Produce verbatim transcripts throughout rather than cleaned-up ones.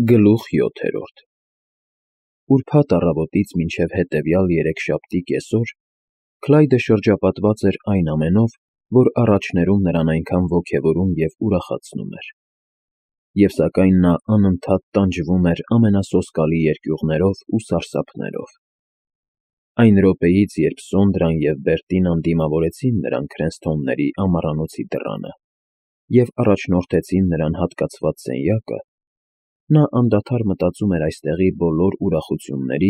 Գլուխ յոթերորդ Ուրբաթ առավոտից մինչև հետևյալ երեքշաբթի կեսօր Քլայդը շրջապատված էր այն ամենով, որ առաջներում նրան այնքան ոգևորում և ուրախացնում էր, և սակայն նա անընդհատ տանջվում էր ամենասոսկալի երկյուղներով ու սարսափներով։ Այն րոպեից, երբ Սոնդրան և Բերտինան դիմավորեցին նրան Քրենսթոնների ամառանոցի դռանը և առաջնորդեցին նրան հատկացված սենյակը, նա անդադար մտածում էր այստեղի բոլոր ուրախությունների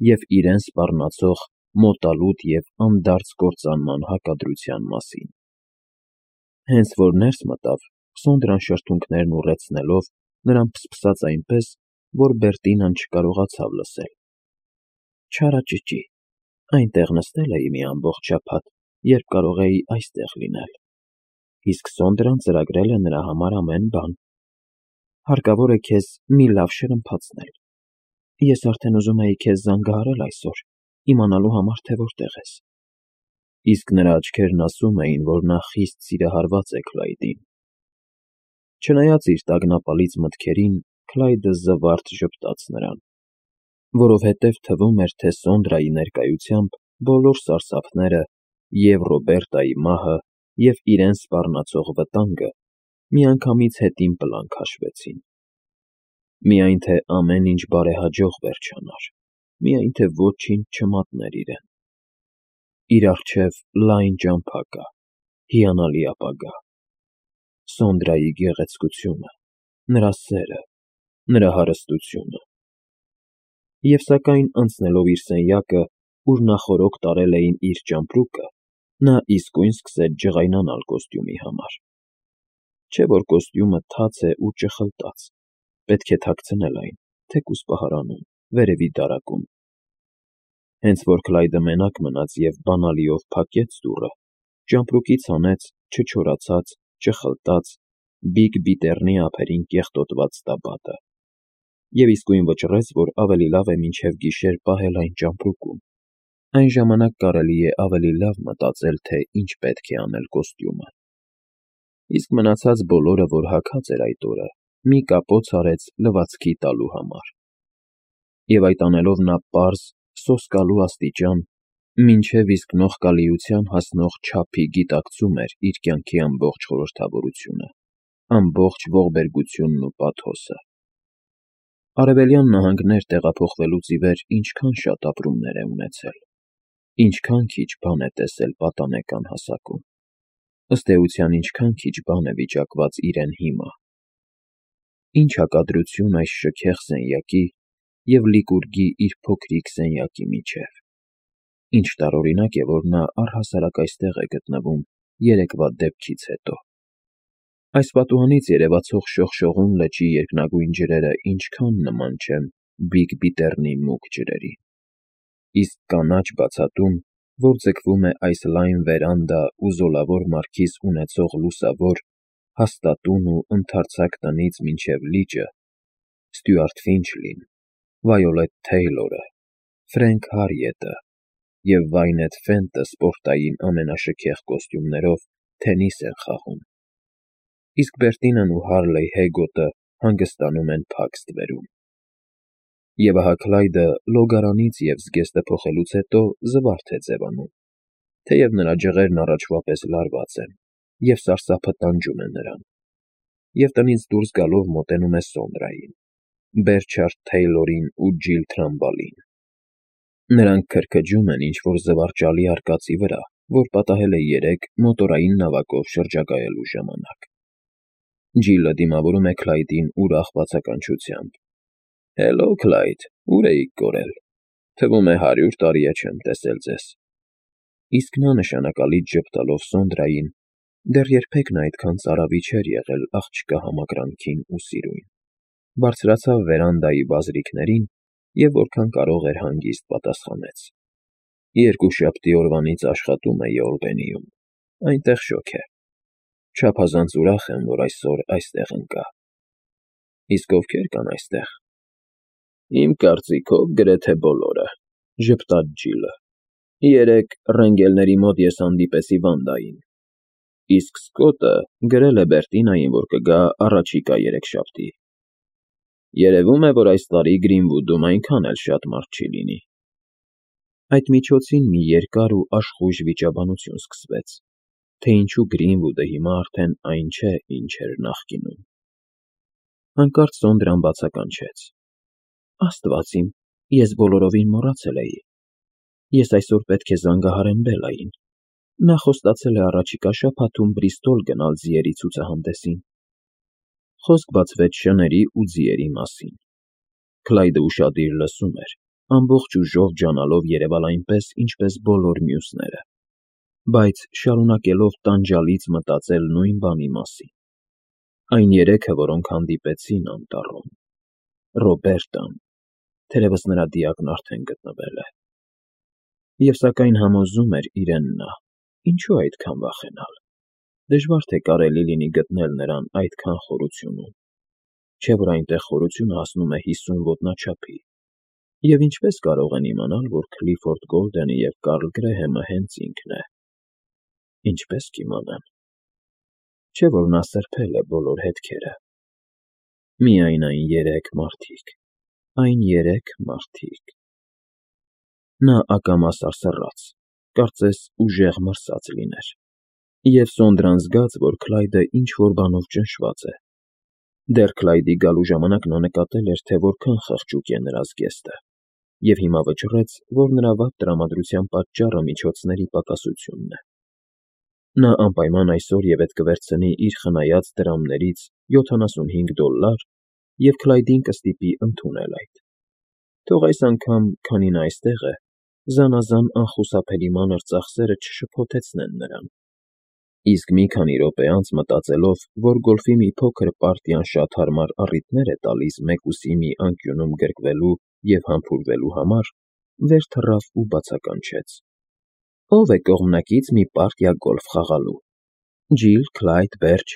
և իրեն սպառնացող մոտալուտ և անդարձ կործանման հակադրության մասին։ Հենց որ ներս մտավ, Սոնդրան շրթունքներն ուռեցնելով նրան փսփսաց այնպես, որ Բերտինան չկարողացավ լսել. Չարաճճի, այնտեղ նստել էի մի ամբողջ շաբաթ, երբ կարող էի այստեղ լինել, իսկ Սոնդրան ծրագրել է նրա համար ամեն բան։ Հարկավոր է քեզ մի լավ շրմփացնել։ Ես արդեն ուզում էի քեզ զանգահարել այսօր, իմանալու համար, թե որտեղ ես։ Իսկ նրա աչքերն ասում էին, որ նա խիստ սիրահարված է Քլայդին։ Չնայած իր տագնապալից մտքերին, Քլայդը զվարթ ժպտաց նրան, որովհետև թվում էր, թե Սոնդրայի ներկայությամբ բոլոր սարսափները և Ռոբերտայի մահը, և իրեն սպառնացող վտանգը միանգամից հետին պլան քաշվեցին։ Միայն թե ամեն ինչ բարեհաջող վերջանար, միայն թե ոչինչ չմատներ իրեն։ Իր առջև լայն ճամփա կա, հիանալի ապագա։ Սոնդրայի գեղեցկությունը, նրա սերը, նրա հարստությունը։ Եվ սակայն անցնելով իր սենյակը, ուր նախօրոք տարել էին իր ճամպրուկը, նա իսկույն սկսեց ջղայնանալ կոստյումի համար։ Չէ՞ որ կոստյումը թաց է ու ճխլտած, պետք է թաքցնել այն, թեկուզ պահարանում, վերևի դարակում։ Հենց որ Քլայդը մենակ մնաց և բանալիով փակեց դուռը, ճամպրուկից հանեց չչորացած, ճխլտած, բիգ բիտեռնի ափերին կեղտոտված տաբատը և իսկույն վճռեց, որ ավելի լավ է մինչև գիշեր պահել այն ճամպրուկում, այն ժամանակ կարելի է ավելի լավ մտածել, թե ինչ պետք է անել կոստյումը։ Իսկ մնացած բոլորը, որ հագած էր այդ օրը, մի կապոց արեց լվացքի տալու համար։ Եվ այդ անելով նա պարզ, սոսկալու աստիճան, մինչև իսկ նողկալիության հասնող չափի գիտակցում էր իր կյանքի ամբողջ խորհրդավորությունը, ամբողջ ողբերգությունն ու պաթոսը։ Արևելյան նահանգներ տեղափոխվելուց ի վեր ինչքան շատ ապրումներ է ունեցել, ինչքան քիչ բան է տեսել պատանեկան հասակում, ըստ էության ինչքան քիչ բան է վիճակված իրեն հիմա։ Ինչ հակադրություն այս շքեղ սենյակի և Լիկուրգի իր փոքրիկ սենյակի միջև։ Ինչ տարօրինակ է, որ նա առհասարակ այստեղ է գտնվում երեկվա դեպքից հետո։ Այս պատուհանից երևացող շողշողուն լճի երկնագույն ջրերը ինչքան նման չեն բիգ բիտեռնի մուգ ջրերին։ Իսկ կանաչ բացատում, որ ձգվում է այս լայն վերանդա ու զոլավոր մարգիս ունեցող լուսավոր, հաստատուն ու ընդարձակ տնից մինչև լիճը, Ստյուարտ Ֆինչլին, Վայոլեթ Թեյլորը, Ֆրենք Հարիետը և Վայնեթ Ֆենտը սպորտային ամենաշքեղ կոստյումներով թենիս են խաղում, իսկ Բերտինան ու Հարլեյ Հեգոտը հանգստանում են փակ ստվերում։ Եվ ահա Քլայդը լոգարանից և զգեստը փոխելուց հետո զվարթ է ձևանում, թեև նրա ջղերն առաջվա պես լարված են, և սարսափը տանջում է նրան, և տնից դուրս գալով մոտենում է Սոնդրային, Բերչարդ Թեյլորին ու Ջիլ Թրամբալին։ Նրանք քրքջում են ինչ-որ զվարճալի արկածի վրա, որ պատահել է երեկ մոտորային նավակով շրջագայելու ժամանակ։ Ջիլը դիմավորում է Քլայդին ուրախ բացականչությամբ. Հելո, Քլայդ, ո՞ւր էիք կորել։ Թվում է հարյուր տարի է չեմ տեսել ձեզ։ Իսկ նա նշանակալից ժպտալով Սոնդրային, դեռ երբեք նա այդքան ծարավի չէր եղել աղջկա համակրանքին ու սիրուն, բարձրացավ վերանդայի բազրիքներին և որքան կարող էր հանգիստ պատասխանեց. Երկուշաբթի օրվանից աշխատում էի Օլբենիում, այնտեղ շոգ է։ Չափազանց ուրախ եմ, որ այսօր այստեղ ընկա։ Իսկ ովքեր կան այստեղ։ Իմ կարծիքով գրեթե բոլորը, ժպտաց Ջիլը։ Երեկ Ռենգելների մոտ ես հանդիպեցի Վանդային, իսկ Սկոտը գրել է Բերտինային, որ կգա առաջիկա երեքշաբթի։ Երևում է, որ այս տարի Գրինվուդում այնքան էլ շատ մարդ չի լինի։ Այդ միջոցին մի երկար ու աշխույժ վիճաբանություն սկսվեց, թե ինչու Գրինվուդը հիմա արդեն այն չէ, ինչ էր նախկինում։ Հանկարծ Սոնդրան բացականչեց. Աստված իմ, ես բոլորովին մոռացել էի։ Ես այսօր պետք է զանգահարեմ Բելային։ Նա խոստացել է առաջիկա շաբաթում Բրիստոլ գնալ ձիերի ցուցահանդեսին։ Խոսք բացվեց շների ու ձիերի մասին։ Քլայդը ուշադիր լսում էր, ամբողջ ուժով ջանալով երևալ այնպես, ինչպես բոլոր մյուսները, բայց շարունակելով տանջալից մտածել նույն բանի մասին։ Այն երեքը, որոնք հանդիպեցին անտառում։ Ռոբերտան, թերևս նրա դիակն արդեն գտնվել է։ Եվ սակայն համոզում էր իրեն նա, ինչու այդքան վախենալ։ Դժվար թե կարելի լինի գտնել նրան այդքան խորությունում, չէ՞ որ այնտեղ խորությունը հասնում է հիսուն ոտնաչափի, և ինչպես կարող են իմանալ, որ Քլիֆորդ Գոլդենը և Կարլ Գրեհեմը հենց ինքն է։ Ինչպես կիմանան։ Չէ՞ որ նա սրբել է բոլոր հետքերը։ Միայն այն երեք մարդիկ, այն երեք մարդիկ… Նա ակամա սարսռաց, կարծես ուժեղ մրսած լիներ, և Սոնդրան զգաց, որ Քլայդը ինչ֊որ բանով ճնշված է։ Դեռ Քլայդի գալու ժամանակ նա նկատել էր, թե որքան խղճուկ է նրա զգեստը, և հիմա վճռեց, որ նրա վատ տրամադրության պատճառը միջոցների պակասությունն է։ Նա անպայման այսօր ևեթ կվերցնի իր խնայած դրամներից յոթանասունհինգ դոլլար և Քլայդին կստիպի ընդունել այդ։ Թող այս անգամ, քանի նա այստեղ է, զանազան անխուսափելի մանր ծախսերը չշփոթեցնեն նրան։ Իսկ մի քանի րոպե անց, մտածելով, որ գոլֆի մի փոքր պարտիան շատ հարմար առիթներ է տալիս մեկուսի մի անկյունում գրկվելու և համբուրվելու համար, վեր թռավ ու բացականչեց. Ո՞վ է կողմնակից մի պարտիա գոլֆ խաղալու։ Ջիլ, Քլայդ, Բերջ…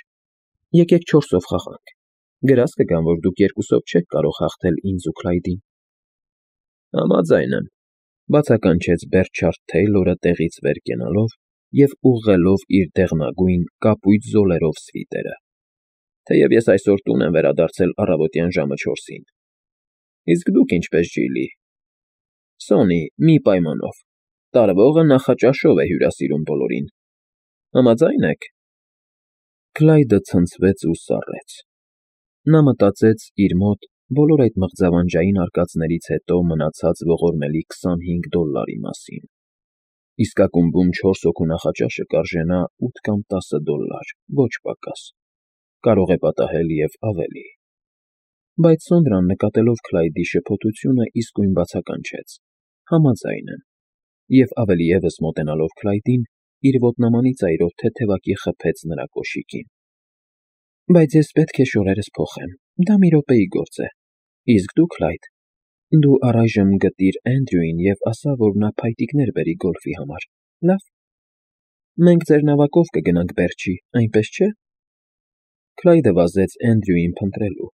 Եկեք չորսով խաղանք։ Գրազ կգամ, որ դուք երկուսով չեք կարող հաղթել ինձ ու Քլայդին։ Համաձայն եմ, բացականչեց Բերտշարդ Թեյլորը տեղից վեր կենալով և ուղղելով իր դեղնագույն, կապույտ զոլերով սվիտերը, թեև ես այսօր տուն եմ վերադարձել առավոտյան ժամը չորսին։ Իսկ դուք ինչպես, Ջիլի։ Սոնի, մի պայմանով, տարվողը նախաճաշով է հյուրասիրում բոլորին։ Համաձա՞յն եք։ Քլայդը ցնցվեց ու սառեց։ Նա մտածեց իր մոտ բոլոր այդ մղձավանջային արկածներից հետո մնացած ողորմելի քսանհինգ դոլլարի մասին։ Իսկ ակումբում չորս հոգու նախաճաշը կարժենա ութ կամ տասը դոլլար, ոչ պակաս, կարող է պատահել և ավելի։ Բայց Սոնդրան, նկատելով Քլայդի շփոթությունը, իսկույն բացականչեց. Համաձայն եմ, և ավելի ևս մոտենալով Քլայդին, իր ոտնամանի ծայրով թեթևակի խփեց նրա կոշիկին։ Բայց ես պետք է շորերս փոխեմ, դա մի րոպեի գործ է։ Իսկ դու, Քլայդ, դու առայժմ գտիր Էնդրյուին և ասա, որ նա փայտիկներ բերի գոլֆի համար, լա՞վ։ Մենք ձեր նավակով կգնանք Բերչի, այնպես չէ՞։ Քլայդը վազեց Էնդրյուին փնտրելու,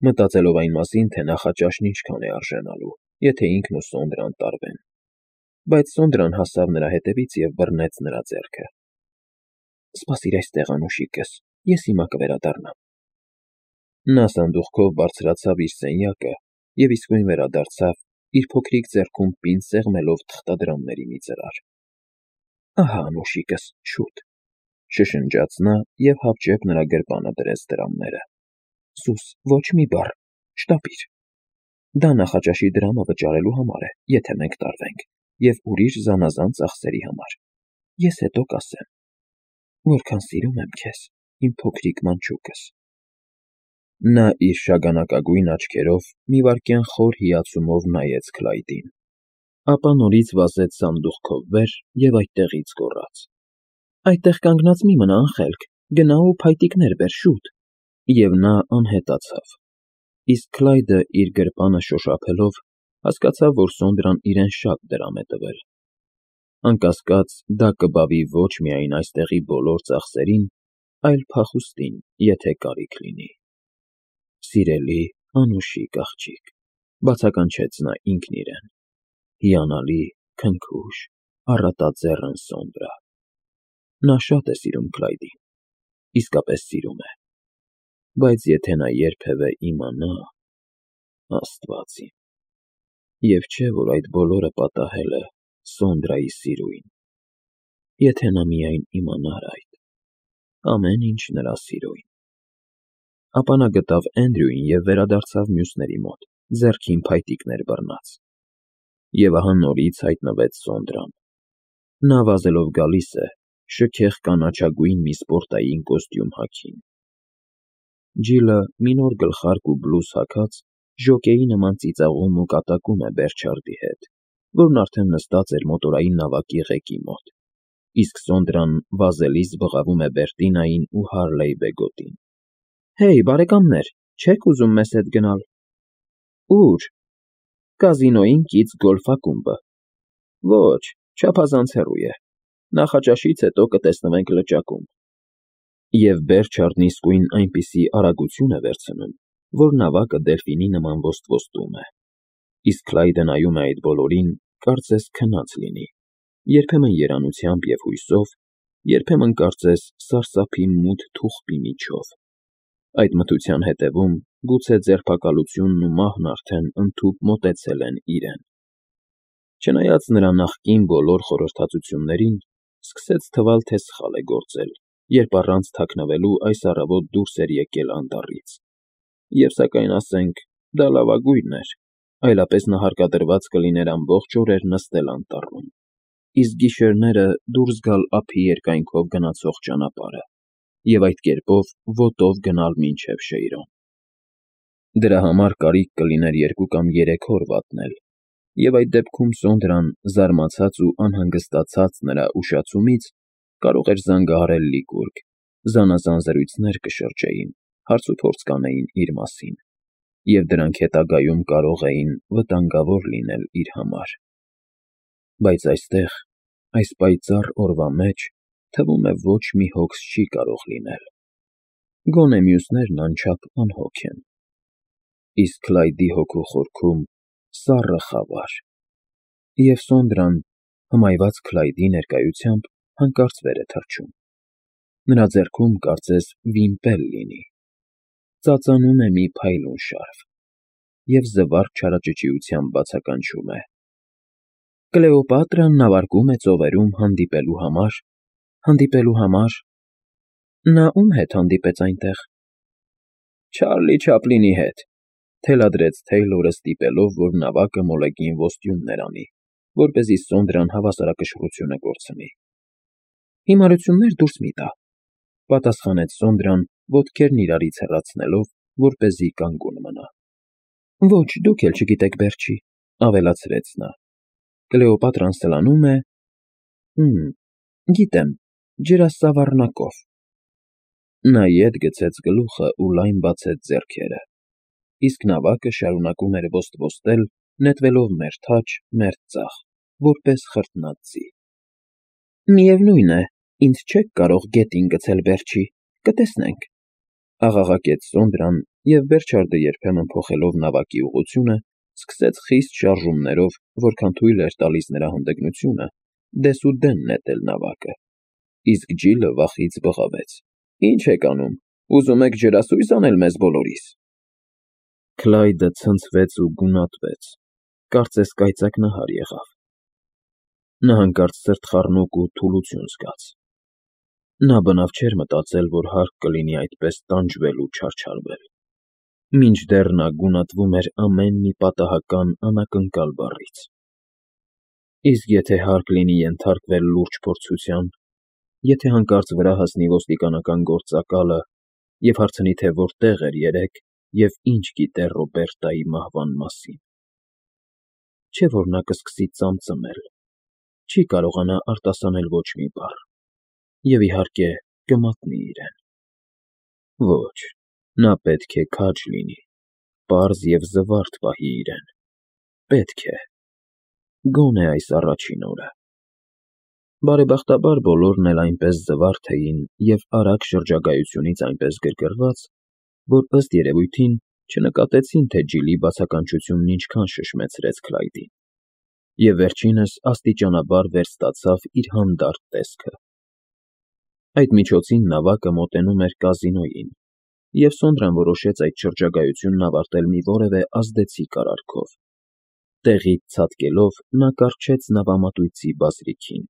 մտածելով այն մասին, թե նախաճաշն ինչքան է արժենալու, եթե ինքն ու Սոնդրան տարվեն։ Բայց Սոնդրան հասավ նրա հետևից և բռնեց նրա ձեռքը։ Սպասիր այստեղ, անուշիկս, ես հիմա կվերադառնամ։ Նա սանդուղքով բարձրացավ իր սենյակը և իսկույն վերադարձավ, իր փոքրիկ ձեռքում պինդ սեղմելով թղթադրամների մի ծրար։ Ահա, անուշիկս, շուտ, շշնջաց նա և հապճեպ նրա գրպանը դրեց դրամները։ Սուս, ոչ մի բառ, շտապիր։ Դա նախաճաշի դրամը վճարելու համար է, եթե մենք տարվենք, և ուրիշ զանազան ծախսերի համար։ Ես հետո կասեմ։ Որքան սիրում եմ քեզ, իմ փոքրիկ մանչուկս։ Նա իր շագանակագույն աչքերով մի վայրկյան խոր հիացումով նայեց Քլայդին, ապա նորից վազեց սանդուղքով վեր և այդտեղից գոռաց. Այդտեղ կանգնած մի մնա, անխելք, գնա ու փայտիկներ բեր, շուտ։ Եվ նա անհետացավ։ Իսկ Քլայդը, իր գրպանը շոշափելով, հասկացավ, որ Սոնդրան իրեն շատ դրամ է տվել։ Անկասկած, դա կբավի ոչ միայն այստեղի բոլոր ծախսերին, այլ փախուստին, եթե կարիք լինի։ Սիրելի, անուշիկ աղջիկ, բացականչեց նա ինքն իրեն, հիանալի, քնքուշ, առատաձեռն Սոնդրա։ Նա շատ է սիրում Քլայդին, իսկապես սիրում է։ Բայց եթե նա երբևէ իմանա… Աստված իմ, և չէ, որ այդ բոլորը պատահել է Սոնդրայի սիրուին, եթե նա միայն իմանար այդ, ամեն ինչ նրա սիրոյն։ Ապա նա գտավ Էնդրյուին և վերադարձավ մյուսների մոտ, ձեռքին փայտիկներ բռնած։ Եվ ահա նորից հայտնվեց Սոնդրան։ Նա վազելով գալիս է, շքեղ կանաչագույն մի սպորտային կոստյում հագին։ Ջիլը մի նոր գլխարկ ու բլուզ հագած, ժոկեի նման ծիծաղում ու կատակում է Բերչարդի հետ, որն արդեն նստած էր մոտորային նավակի ղեկի մոտ, իսկ Սոնդրան վազելիս բղավում է Բերտինային ու Հարլեյ Բեգոտին։ Հեյ, բարեկամներ, չե՞ք ուզում մեզ հետ գնալ։ Ո՞ւր։ Կազինոյին կից գոլֆ ակումբը։ Ոչ, չափազանց հեռու է։ Նախաճաշից հետո կտեսնվենք լճակում։ Եվ Բերչարդն իսկույն այնպիսի արագություն է վերցնում, որ նավակը դելֆինի նման ոստվոստում է։ Իսկ Քլայդը նայում է այդ բոլորին, կարծես քնած լինի, երբեմն երանությամբ և հույսով, երբեմն կարծես սարսափի մութ թուղթի միջով։ Այդ մթության հետևում գուցե ձերբակալությունն ու մահն արդեն ընդհուպ մոտեցել են իրեն։ Չնայած նրա նախկին բոլոր խորհրդածություններին, սկսեց թվալ, թե սխալ է գործել, երբ առանց թաքնվելու այս առավոտ դուրս էր եկել անտառից։ Եվ սակայն ասենք, դա լավագույնն էր, այլապես նա հարկադրված կլիներ ամբողջ օրեր նստել անտառում, իսկ գիշերները դուրս գալ ափի երկայնքով գնացող ճանապարհը և այդ կերպով ոտով գնալ մինչև Շեյրոն։ Դրա համար կարիք կլիներ երկու կամ երեք օր վատնել, և այդ դեպքում Սոնդրան, զարմացած ու անհանգստացած նրա ուշացումից, կարող էր զանգահարել Լիկուրգ, զանազան զրույցներ կշրջեին, հարցուփորձ կանեին իր մասին, և դրանք հետագայում կարող էին վտանգավոր լինել իր համար։ Բայց այստեղ, այս պայծառ օրվա մեջ, թվում է ոչ մի հոգս չի կարող լինել։ Գոնե մյուսներն անչափ անհոգ են։ Իսկ Քլայդի հոգու խորքում սառը խավար։ Եվ Սոնդրան, հմայված Քլայդի ներկայությամբ, հանկարծ վեր է թռչում։ Նրա ձեռքում կարծես վիմպել լինի։ Ծածանում է մի փայլուն շարֆ և զվարթ չարաճճիությամբ բացականչում է. Կլեոպատրան նավարկում է ծովերում հանդիպելու համար, հանդիպելու համար… Նա ում հետ հանդիպեց այնտեղ։ Չարլի Չապլինի հետ, թելադրեց Թեյլորը ստիպելով, որ նավակը մոլեգին ոստյուններ անի, որպեսզի Սոնդրան հավասարակշռությունը կորցնի։ Հիմարություններ դուրս մի տա, պատասխանեց Սոնդրան, ոտքերն իրարից հեռացնելով, որպեսզի կանգուն մնա։ Ոչ, դուք էլ չգիտեք, Բերչի, ավելացրեց նա։ Կլեոպատրան սլանում է… Հըմ, գիտեմ, ջրասավառնակով։ Նա ետ գցեց գլուխը ու լայն բացեց ձեռքերը, իսկ նավակը շարունակում էր ոստվոստել, նետվելով մերթ աջ, մերթ ձախ, որպես խրտնած ձի։ Միևնույն է, ինձ չեք կարող գետին գցել, Բերչի, կտեսնենք, աղաղակեց Սոնդրան, և Բերչարդը երբեմն փոխելով նավակի ուղղությունը, սկսեց խիստ շարժումներով, որքան թույլ էր տալիս նրա հանդգնությունը, դեսուդեն նետել նավակը։ Իսկ Ջիլը վախից բղավեց. Ինչ եք անում, ուզում եք ջրասո՞ւյս անել մեզ բոլորիս։ Քլայդը ցնցվեց ու գունատվեց, կարծես կայծակնահար եղավ։ Նա հանկարծ սրտխառնոք ու թուլություն զգաց։ Նա բնավ չէր մտածել, որ հարկ կլինի այդպես տանջվել ու չարչարվել, մինչդեռ նա գունատվում էր ամեն մի պատահական անակնկալ բառից։ Իսկ եթե հարկ լինի ենթարկվել լուրջ փորձության, եթե հանկարծ վրա հասնի ոստիկանական գործակալը և հարցնի, թե որտեղ էր երեկ և ինչ գիտեր Ռոբերտայի մահվան մասին… Չէ՞ որ նա կսկսի ծամծմել, չի կարողանա արտասանել ոչ մի բառ, և, իհարկե, կմատնի իրեն… Ոչ, նա պետք է քաջ լինի, պարզ և զվարթ պահի իրեն… Պետք է… Գոնե այս առաջին օրը… Բարեբախտաբար բոլորն էլ այնպես զվարթ էին և արագ շրջագայությունից այնպես գրգռված, որ, ըստ երևույթին, չնկատեցին, թե Ջիլի բացականչությունն ինչքան շշմեցրեց Քլայդին, և վերջինս աստիճանաբար վերստացավ իր հանդարտ տեսքը։ Այդ միջոցին նավակը մոտենում էր կազինոյին, և Սոնդրան որոշեց այդ շրջագայությունն ավարտել մի որևէ ազդեցիկ արարքով. տեղից ցատկելով նա կառչեց նավամատույցի բազրիքին,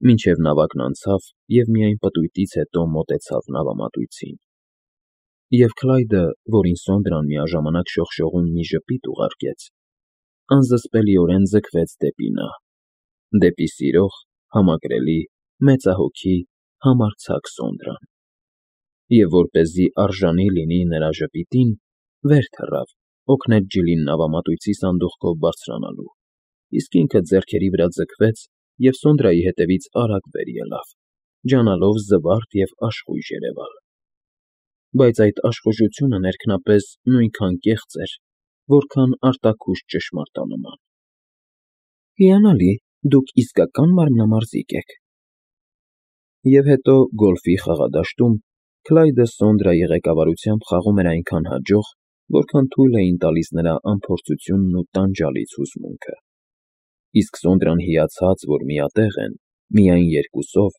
մինչև նավակն անցավ և միայն պտույտից հետո մոտեցավ նավամատույցին, և Քլայդը, որին Սոնդրան միաժամանակ շողշողուն մի ժպիտ ուղարկեց, անզսպելիորեն ձգվեց դեպի նա, դեպի սիրող, համակրելի, մեծահոգի, համարձակ Սոնդրան, և որպեսզի արժանի լինի նրա ժպիտին, վեր թռավ, օգնեց Ջիլին նավամատույցի սանդուղքով բարձրանալու, իսկ ինքը ձեռքերի վրա ձգվեց և Սոնդրայի հետևից արագ վեր ելավ, ջանալով զվարթ և աշխույժ երևալ, բայց այդ աշխուժությունը ներքնապես նույնքան կեղծ էր, որքան արտաքուստ ճշմարտանման։ ֊ Հիանալի, դուք իսկական մարմնամարզիկ եք։ Եվ հետո գոլֆի խաղադաշտում Քլայդը Սոնդրայի ղեկավարությամբ խաղում էր այնքան հաջող, որքան թույլ էին տալիս նրա անփորձությունն ու տանջալից հուզմունքը, իսկ Սոնդրան հիացած, որ միատեղ են, միայն երկուսով,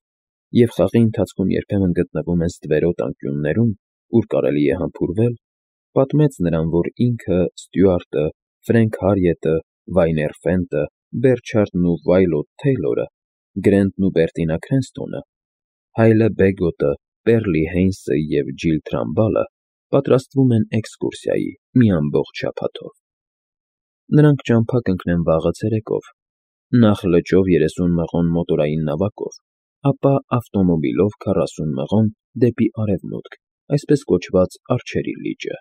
և խաղի ընթացքում երբեմն գտնվում են ստվերոտ անկյուններում, ուր կարելի է համբուրվել, պատմեց նրան, որ ինքը, Ստյուարտը, Ֆրենք Հարիետը, Վայներ Ֆենտը, Բերչարդն ու Վայլոտ Թեյլորը, Գրենտն ու Բերտինա Քրենսթոնը, Հայլը Բեգոտը, Պերլի Հեյնսը և Ջիլ Թրամբալը պատրաստվում են էքսկուրսիայի մի ամբողջ շաբաթով։ Նրանք ճամփա կընկնեն վաղը ցերեկով, նախ լճով երեսուն մղոն մոտորային նավակով, ապա ավտոմոբիլով քառասուն մղոն դեպի արևմուտք, այսպես կոչված Արջերի լիճը։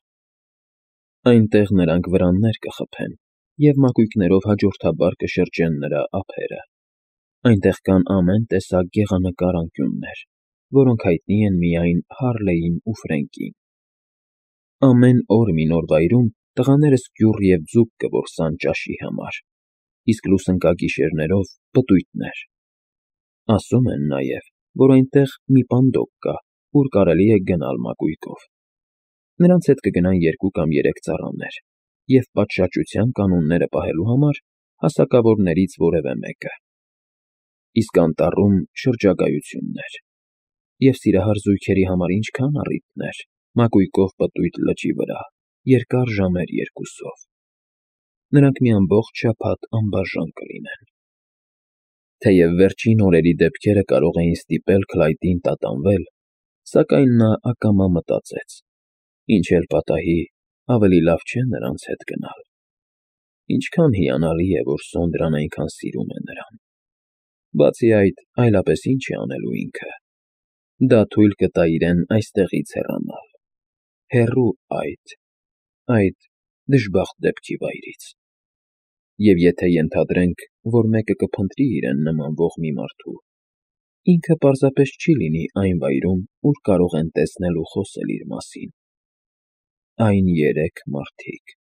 Այնտեղ նրանք վրաններ կխփեն և մակույկներով հաջորդաբար կշրջեն նրա ափերը։ Այնտեղ կան ամեն տեսակ գեղանկար անկյուններ, որոնք հայտնի են միայն Հարլեին ու Ֆրենկին։ Ամեն օր մի նոր վայրում տղաները սկյուռ և ձուկ կորսան ճաշի համար, իսկ լուսնկագիշերներով պտույտներ։ Ասում են նաև, որ այնտեղ մի պանդոկ կա, ուր կարելի է գնալ մակույկով։ Նրանց հետ կգնան երկու կամ երեք ծառաներ և պատշաճության կանոնները պահելու համար հասակավորներից որևէ մեկը։ Իսկ անտառում շրջագայություններ, և սիրահար զույգերի համար ինչքան առիթներ, մակույկով պտույտ լճի վրա, երկար ժամեր երկուսով։ Նրանք մի ամբողջ շաբաթ անբաժան կլինեն։ Թեև վերջին օրերի դեպքերը կարող էին ստիպել Քլայդին տատանվել, սակայն նա ակամա մտածեց. ինչ էլ պատահի, ավելի լավ չէ նրանց հետ գնալ։ Ինչքան հիանալի է, որ Սոնդրան այնքան սիրում է նրան։ Բացի այդ, այլապես ինչ է անելու ինքը։ Դա թույլ կտա իրեն այստեղից հեռանալ, հեռու այդ, այդ դժբախտ դեպքի վայրից։ Եվ եթե ենթադրենք, որ մեկը կփնտրի իրեն նմանվող մի մարդու, ինքը պարզապես չի լինի այն վայրում, ուր կարող են տեսնել ու խոսել իր մասին։ Այն երեք մարդիկ։